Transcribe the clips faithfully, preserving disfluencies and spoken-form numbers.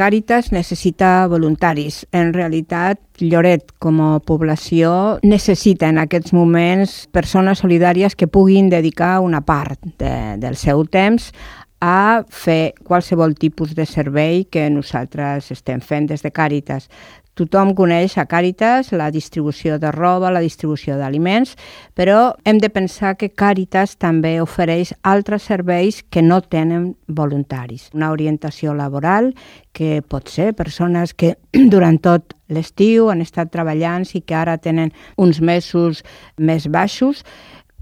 Càritas necessita voluntaris. En realitat, Lloret, com a població, necessita en aquests moments persones solidàries que puguin dedicar una part de, del seu temps a fer qualsevol tipus de servei que nosaltres estem fent des de Càritas. Tothom coneix a Càritas la distribució de roba, la distribució d'aliments, però hem de pensar que Càritas també ofereix altres serveis que no tenen voluntaris. Una orientació laboral, que pot ser persones que durant tot l'estiu han estat treballant i que ara tenen uns mesos més baixos,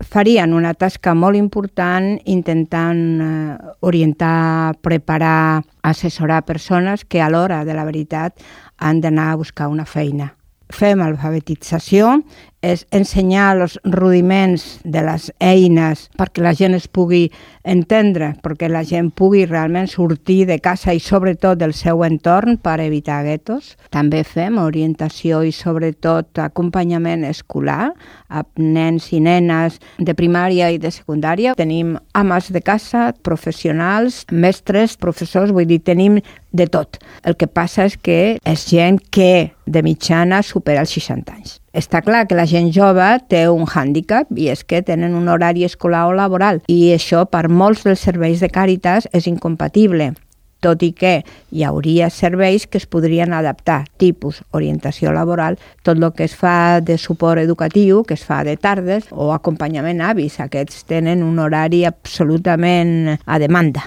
farien una tasca molt important intentant eh, orientar, preparar, assessorar persones que a l'hora de la veritat han d'anar a buscar una feina. Fem alfabetització, és ensenyar els rudiments de les eines perquè la gent es pugui entendre, perquè la gent pugui realment sortir de casa i sobretot del seu entorn per evitar guetos. També fem orientació i sobretot acompanyament escolar a nens i nenes de primària i de secundària. Tenim ames de casa, professionals, mestres, professors, vull dir, tenim de tot. El que passa és que és gent que de mitjana supera els seixanta anys. Està clar que la gent jove té un hàndicap i és que tenen un horari escolar o laboral i això per molts dels serveis de Càritas és incompatible, tot i que hi hauria serveis que es podrien adaptar, tipus orientació laboral, tot el que es fa de suport educatiu, que es fa de tardes, o acompanyament a avis, aquests tenen un horari absolutament a demanda.